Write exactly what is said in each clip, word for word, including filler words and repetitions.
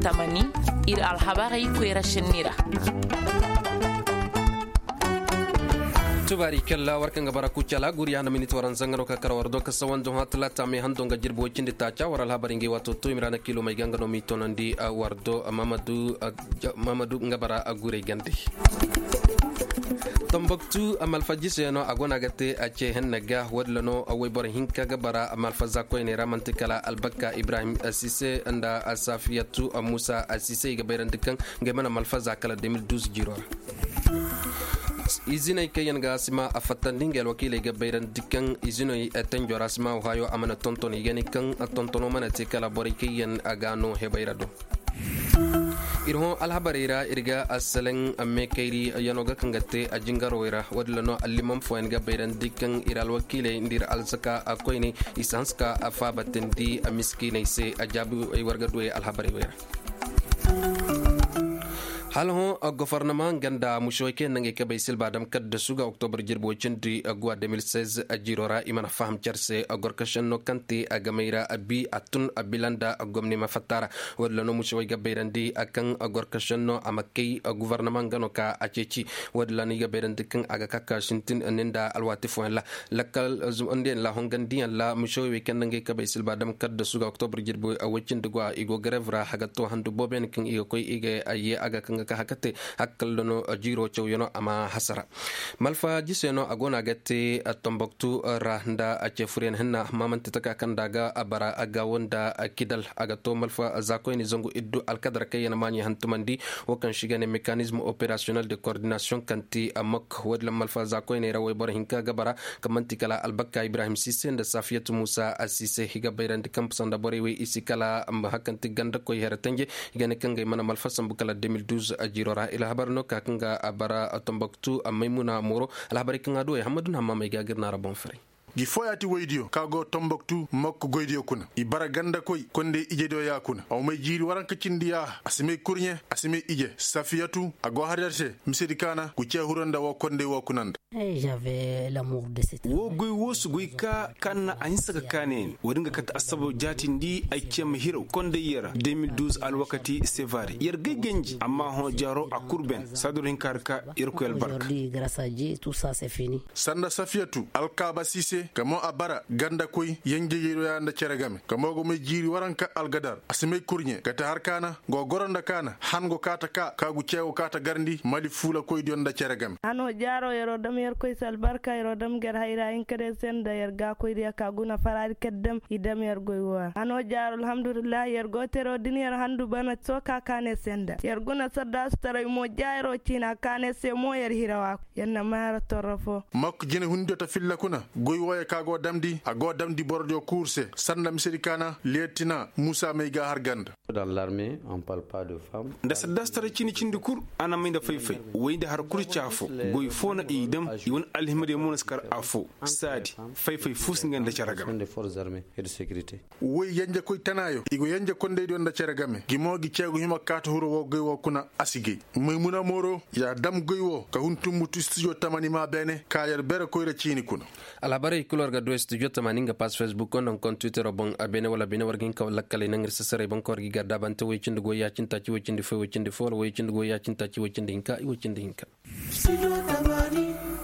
Amani, ir alhabarey koyra sinni ra. Tubaari kalla war kaŋ ga bara kucala guri ya na minit waranza nga no ka kara war do ka sawan do hã talaata me hando nga jirbi way cindi taaca war alhabari ngey waato to i ma ra na kilo may ga nga no m'i tonandi war do. Mamadu nga bara gurey gande. Tambaktu malfa jiseyano a go no a ga te a ce henne ga wo- din ra no wayboro hinka ga bara malfa za koyney ra manti kala albakka ibrahim sise nda safiyatu musa sise i ga bayrandi kaŋ ngey mana malfa za kala deux mille douze jiro ra. Iziney kaŋ yaŋ ga sima a fattandi ngey alwakiiley ga bayrandi kaŋ iziney tenjo ra sima wo hayo a mana tonton i ga ne kaŋ tontono mana te kala borey kaŋ yaŋ ga no hebay ra do. Ir hõ alhabarey ra ir ga asalaŋ meekayri yano ga kaŋ ga te a jingarowey ra wo- din ra no allimam fooyaŋ ga bayrandi kaŋ ir alwakiiley nda ir alzaka koyney i si hanse ka a faabatandi miskiiney se a jaabi ay war ga du ay alhabarey wey ra. Hala hõ gofornama nga nda mušewey kaŋ yaŋ na ngey kabey silba dam kaddasu ga oktobar jirbi way cindi guwa deux mille seize jiro ra i mana faham care se gorkašenno kaŋ te a gamey ra bi a tun a bila nda gomni ma fatta ra. Wo- din ra no mušewey ga bayrandi kaŋ gorkašenno a ma kay gufornama nga no ka a ceeci. Wo- din ra no i ga bayrandi kaŋ a ga ka ka sintin ni nda alwaati fooyaŋ ra lakkal zumandi yaŋ ra hongandiyaŋ ra mušewey wey kaŋ na ngey kabey silba dam kaddasu ga oktobar jirbi way cindi guwa i go garev ra haga to handu boobo yaŋ kaŋ i ga koy i ga ye a ga kaŋ ga ka haka te hakkalla no jiiro cawyano a ma hasara. Malfa jise no a go no a ga te tomboktu ra nda a ce furyaŋ hinna amma manti taka kaŋ nda a ga bara a gaawo nda kidal a ga to malfa zaakoyni zangu iddu alkadar kaŋ yaŋ maaɲey hantumandi. Wo kaŋ se i ga ne mekanizm operasiyonel de kordinasiyoŋ kaŋ ti mok wo- din ra malfa zaakoyney ra wayboro hinka ga bara kaŋ manti kala albakka ibrahim sise nda safiyatu musa sise i ga bayrandi kaŋ sanda borey wey i si kala hari kaŋ ti gandakoy here tanje. I ga ne kaŋ ngey mana malfa sambu kala deux mille douze jiro ra alhabar no ka kaŋ ga a bara tomboktu maymuna moro. Alhabarey kaŋ a du wey hammadu na hammamey ga gir naara boŋ faray. Gi fooyaŋ ti woydiyo ka go tomboktu mokko goydiyo kuna i bara gandakoy kondey ijediyo ya kuna a wa may jiiri waranka cindi yaaha a si may kurɲe a si may ije safiyatu a go har yer se misedi kaana gu cee huro nda woo kondey woo kuna nda. Woo goy woo si goy ka kaŋ na a hinsa ka kaanay ne woodin ga kate assabab jaatindi ay cee ma hiraw kondey yer ra deux mille douze alwakati sevare yer gay ganji amma hõ jaaro a kul ben saaduro hinka ra ka yerkoy albarka. Sanda safiyatu alkaaba siise ka mo a bara gandakoy yenjeyeyroya nda cere game ka mo go may jiiri waranka algadar a si may kurɲe kate har kaana go goro nda kaana han go kaata ka ka gu ceewo kaata garndi mali fuulakoydiyo nda cere game. Hano jaaro yeroo dam yerkoy se albarka yeroo dam ger hayra hinka day se nda yer gaakoydiyo ka guna faraadi kaddam i dam yer goy woo ra hano jaaro alhamdulillahi yer go teroo din yer handu bana soo ka kaane se nda yer guna saddaasu taray mo jaayiroo ciina kaane se mo yer hirawa. Yer na maara torro foo. Mokko jinehundiyo ta filla kuna goy wooyo ka go damndi a go damndi borodiyo kuur se sanda misedi kaana leetina muusa may ga har ganda. Nda saddaasi taray cindi cindi kul a na may nda fay-fay woy nda har kul ca foo goy foo na i dam i wane alhimadiyo mo na si kar afoo saadi fay-fay foo si nga nda cere game. Woy yenjekoy tanaayo i go yenje kondaydiyo nda cere game gi mo gi ceegu hima kaata huru woo goy woo kuna a si gay maymuna mooro ya dam goy woo ka hun tumbutu studio tamani ma beene ka yer bere koyra ciini kuna. Alhabarey kul war ga du studio tamani nga pass facebook nda nga kon twittero boŋ a beene wala beene war ga hin ka wala lakkaley naŋ ir sasaray boŋ ka war ga i gar daabante woy cindi goy ya-cindi taaci woy cindi fo woy cindi fo wala woy cindi goy ya-cindi taaci woy cindi hinka i woy cindi hinka.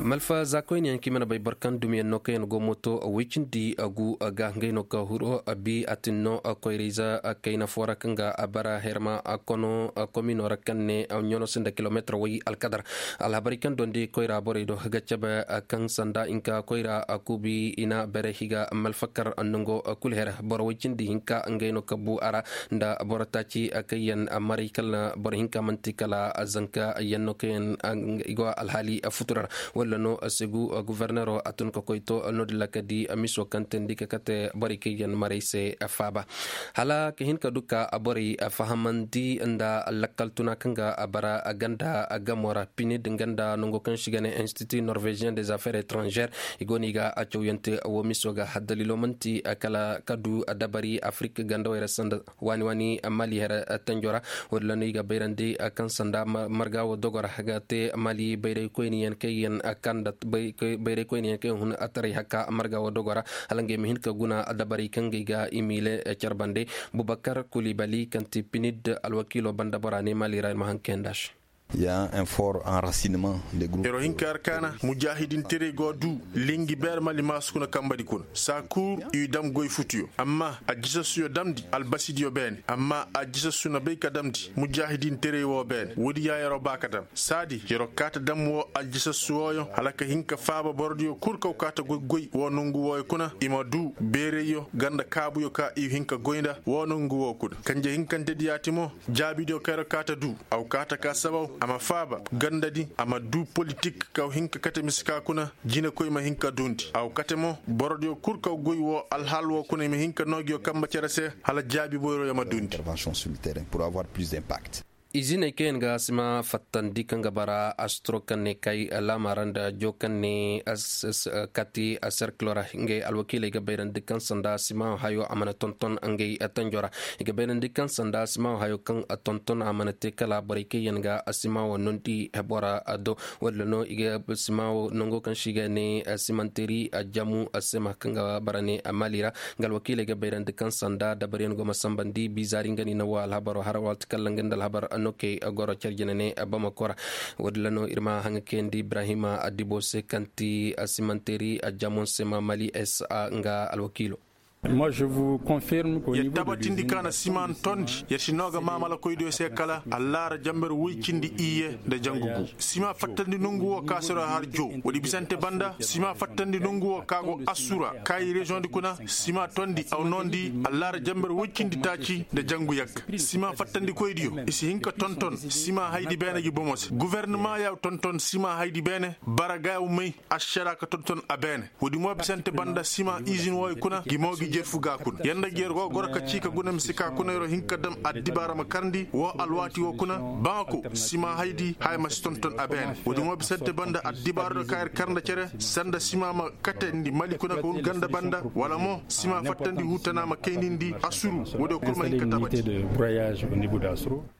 Malfa zaakoyniyaŋ kaŋ i mana bay boro kaŋ dumiyaŋ no kaŋ yaŋ go mooto woy cindi gu ga ngey no ka huru bi a tin no koyrayza kayna foo ra kaŋ ga a bara herma kono komino ra kaŋ ne ɲano sinda kilomeetir way alkadar. Alhabarey kaŋ dondi koyra borey do ga cabe kaŋ sanda hinka koyra kuubi i na bere higa malfakar nango kul here boro way cindi hinka ngey no ka bu a ra nda boro taaci kaŋ yaŋ maray kala boro hinka manti kala zanka yaŋ no kaŋ yaŋ i go alhaali futura ra walla no segu gufornero a tun ka koy to no- din ra ka di miso kaŋ teendi ka kate borey kaŋ yaŋ maray se faaba hala ka hin ka du ka borey fahamandi nda lakkal tuna kaŋ ga bara ganda gamo ra pinid nga nda nango kaŋ se i ga ne institut norvégien des affaires étrangères i go no i ga cawyante wo miso ga haddalilo manti kala ka du dabari afrik gandawey ra sanda waani waani mali here tanjo ra. Wo- din ra no i ga bayrandi kaŋ sanda marga wo dogo ra ga te mali bayraykoyniyaŋ kaŋ yaŋ Kaŋ nda bayraykoyniyaŋ kaŋ hun ataray haka marga wo dogo ra, hala ngey ma hin ka guna dabarey kaŋ ngey ga imile care bande. Bubakar kulibali kaŋ ti pinid alwakiilo banda bora ne mali ra ir ma haŋ kayanda se. Yer o hin ka yer kaana mujaahidinterey go du lingi beer mali maasu kuna kambadi kuna saa kul i dam goy futuyo amma aljisassuyo damndi albasidiyo beene amma aljisassu na bay ka damndi mujaahidinterey woo beene woodi ya yer o ba ka dam saadi yer o kaa ta dam woo aljisassu wooyo hala ka hin ka faaba borodiyo kul kaw kaa ta goy goy woo nongu wooyo kuna i ma duu beerayyo ganda kaabuyo ka i hin ka goy nda woo nongu woo kuna kanje hinkantedi yaati mo jaabidiyo kaŋ yer o kaa ta duu a wa kaa ta kaa sabaw a ma faaba gandadi a ma duu politik kaw hin ka kate mise ka kuna jinekoy ma hin ka duundi a wa kate mo borodiyo kul kaw goy woo alhaal woo kuna i ma hin ka noo ngiyo kambe cere se hala jaabi boyroyo ma duundi. Iziney kaŋ yaŋ ga sima fattandi kaŋ ga bara astro kaŋ ne kay laama ra nda joo kaŋ ne kati serkilo ra ngey alwakiiley ga bayrandi kaŋ sanda sima hayo a mana tonton ngey tanjo ra i ga bayrandi kaŋ sanda sima hayo kaŋ tonton a mana te kala borey kaŋ yaŋ ga sima wo nondi hebora do. Walla no i ga sima wo nango kaŋ se i ga ne simanteri jamu sema kaŋ ga bara ne mali ra nga alwakiiley ga bayrandi kaŋ sanda dabariyaŋ go ma sambandi bizaari nga ni na wo alhabaro har waati kaŋ ra nga nda alhabar no kay goro care jine ne bamako ra. Woodin ra no ir ma haŋa kayandi ibrahima dibo se kaŋ ti simanteri jamon sema mali s a nga alwakiilo. Yer tabatindi ka na sima tondi yer si no ga maamalakoydiyo se kala allaara jamber woy cindi iyye nda jangu gu sima fattandi nongu wo ka sero har jow woodi bisante banda sima fattandi nongu wo ka go assura kaayi reziyoŋdi kuna sima tondi aw noondi allaara jamber woy cindi taaci nda jangu yagga sima fattandikoydiyo i si hin ka tonton sima haydi beene gi bomo se gofornama ya tonton sima haydi beene bara ga yaw may ašara ka tonton a beene woodi mo bisante banda sima izin wooyo kuna gi mo gi jerfu ga kuna yer nda gi yer go goro ka cii ka guna mise ka kuna yer o hin ka dam addibaara ma karndi woo alwaati woo kuna bamako sima haydi haya ma si tonton a beene woodi mo bisante banda addibaara do ka yer kar nda cere sanda sima ma katandi mali kuna ka hun ganda banda wala mo sima fattandi huu tana ma kaynindi asuru woodiyo kul ma hin ka tabati.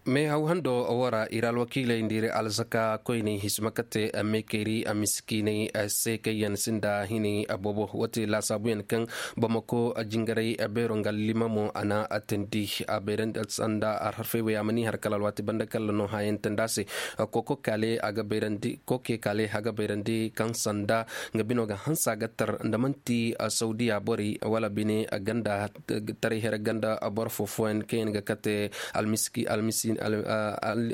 Meehaw hando woo ra ir alwakiiley nda ir alzaka koyney hisima kate meekayri miskiiney se kaŋ yaŋ sinda hinay boobo woo te laasaabuyaŋ kaŋ bamako jingaray beero nga allimamo a na teendi a bayrandi sanda alharfey wey a ma ni har kala alwaati banda kala no hayaŋ teendi a se. Koko kaale a ga bayrandi koke kaale a ga bayrandi kaŋ sanda nga bino ga hanse a ga tar nda man'ti sawdiya borey wala bine ganda taray here ganda boro foo fooyaŋ kaŋ yaŋ ga kate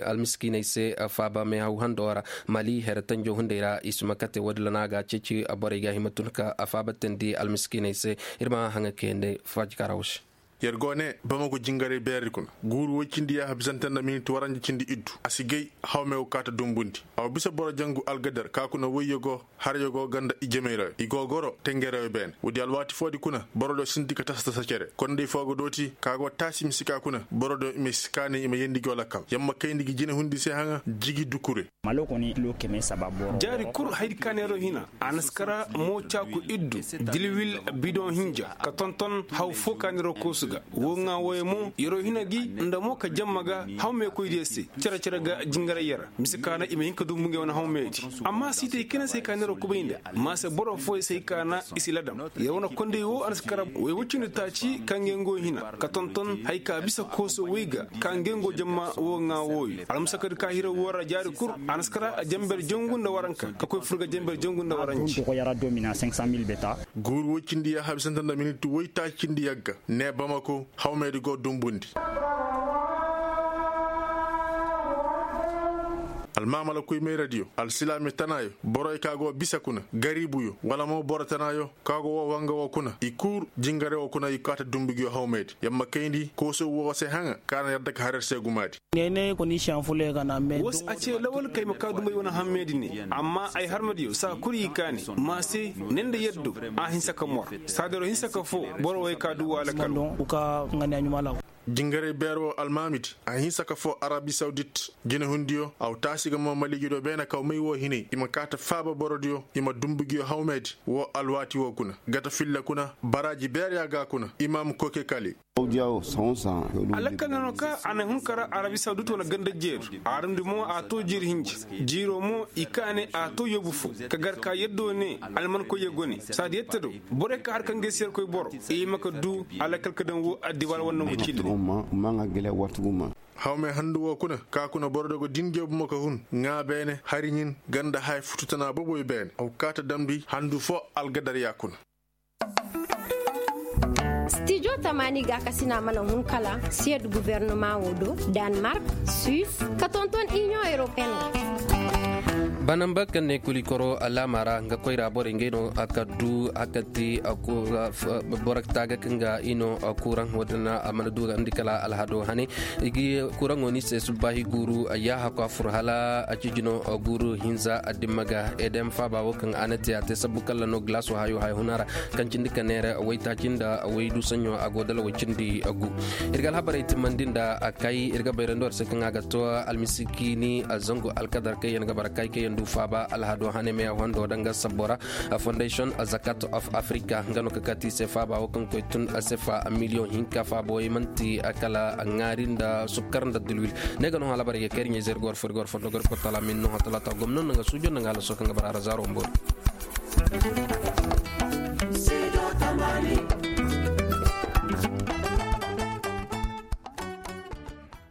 almiskiiney se faaba meehaw hando ra mali here tanjo hunday ra i si ma kate woodin ra no a ga a ceeci borey ga hima tun ka faaba teendi almiskiiney se. Ir ma haŋa kayandi faajikaara wo se. Yer go ne bamako jingaray beeradi kuna guuru woy cindi yaaha bisante nda minit waranja cindi iddu a si gay hawmey go kaa ta dumbundi a wa bisa boro jangu algadar ka kuna woyyo go haryo go ganda ijemey ra i go goro tengereyo beene woodi alwaati foodi kuna borodiyo sinti ka tasa tasa cere kondey foo ga dooti ka go taasi mise ka kuna borodiyo i ma si kaanay i ma yeendi ngiyo lakkal yer ma kayndi ngi jinehundi se haŋa jigi dukure. Jaari kul haydi ka neeroo hina a na si kara mo caaku iddu dilwil bidoŋ hinja ka tonton haw foo ka neeroo koosu ga woo ŋaa wooyo mo yeroo hina gi nda mo ka jamma ga hawmeekoydiyo se cere-cere ga jingaray yer ra mise ka na i ma hin ka dumbu ngey wane hawmeedi amma siitay kayna se hay ka neeroo kubay nda ma se boro fooyo se hay ka na i si ladam yer wane kondey woo a na si kara way woy cindi taaci ka ngey ngo hina ka tonton hay ka bisa kooso woy ga ka ngey ngo jamma woo ŋaa wooyo almusakadi ka hira woo ra jaari kul a na si kara jamber jangu nda waranka ka koy fur ga jamber jangu nda waranci. Guuru woy cindi yaaha bisante nda minit woy taaci cindi yagga ne bamako hawmeedi go dumbundi. Almaamala koy mayradiyo alsilaami tanaayo boroyo ka go bisa kuna gariibuyo wala mo boro tanaayo ka go woo wanga woo kuna i kul jingare woo kuna i kaa ta dumbu ngiyo hawmeedi yer ma kayndi kooso woo se haŋa ka na yer dake har yer se gumaadi. Woo se a cee lawal ka ay ma kaa dumbu ay wane hammeedi ne amma ay harmadiyo saa kul i kaani ma se ne nda yaddo a hinsa ka mor saadaro hinsa ka foo boro way ka duu waala kalo. Jingaray beer woo almaamidi a hinsa ka foo arabi sawdit jinehundiyo a wa taasi ga mo maliijidiyo beene kaw may woo hinay i ma kaa ta faaba borodiyo i ma dumbu ngiyo hawmeedi woo alwaati woo kuna gata filla kuna baraaji beer yaa ga kuna imaam koke kali. Alakal na no ka a na hun kara arabi sawdut wane ganda jeeru. Arandi mo a to jiiri hinja. Jiiro mo i kaane a to yoobu fo. Ka gar ka yaddo ne almankoyye gone saadi yadda do. Borey ka har ka ngey se yerkoy boro i ma ka du alakal ka daŋ wo addibaal wane nangu ciili. Hawmey handu wo kuna ka kuna boro dogo din jeebu ma ka hun ŋaa beene hari ɲin ganda haya futu tana boboy beene aw kaata damndi handu fo algadar ya kuna. Stijo tamaani gaakasina mana hun kala siyed guvernumaŋo do, danmark, suis, ka tonton iniyoŋ europeen. Banamba kaŋ ne kulikoro alaama ra nga koyra borey ngey no a kaddu a kati. Boro taaga kaŋ ga i no kuraŋ wo-din a mana du nga ndi kala alhado hane. I ga kuraŋo ni se subbaahi guuru yaaha ko a fur hala a cijino guuru hinza addimma ga edem faaba wo kaŋ a na te a te sabbu kalla no gilaaso hayo haya huna ra. Kaŋ cindi ka neera waytaaci nda waydu saɲɲo a go dala way cindi gu. Ir ga alhabarey timmandi nda a kay ir ga bayrandi war se kaŋ a ga to almisikiini zangu alkadar kaŋ yaŋ ga bara kay kaŋ yaŋ du faaba alhado hane meya hondo danga sabbo ra. Fondation zakat of africa nga no ka kati se faaba wo kaŋ koy tun a se fa miliyoŋ hinka faaba wo i manti kala ŋaari nda sukkar nda dulwil. Ne ga no alhabarey ga kay ir ɲayze ir ga war fo ir ga war fondo ga ir kotala min no ha talaata gomno nda nga suujo nda nga halaso kaŋ ga bara ra zaaro mboori.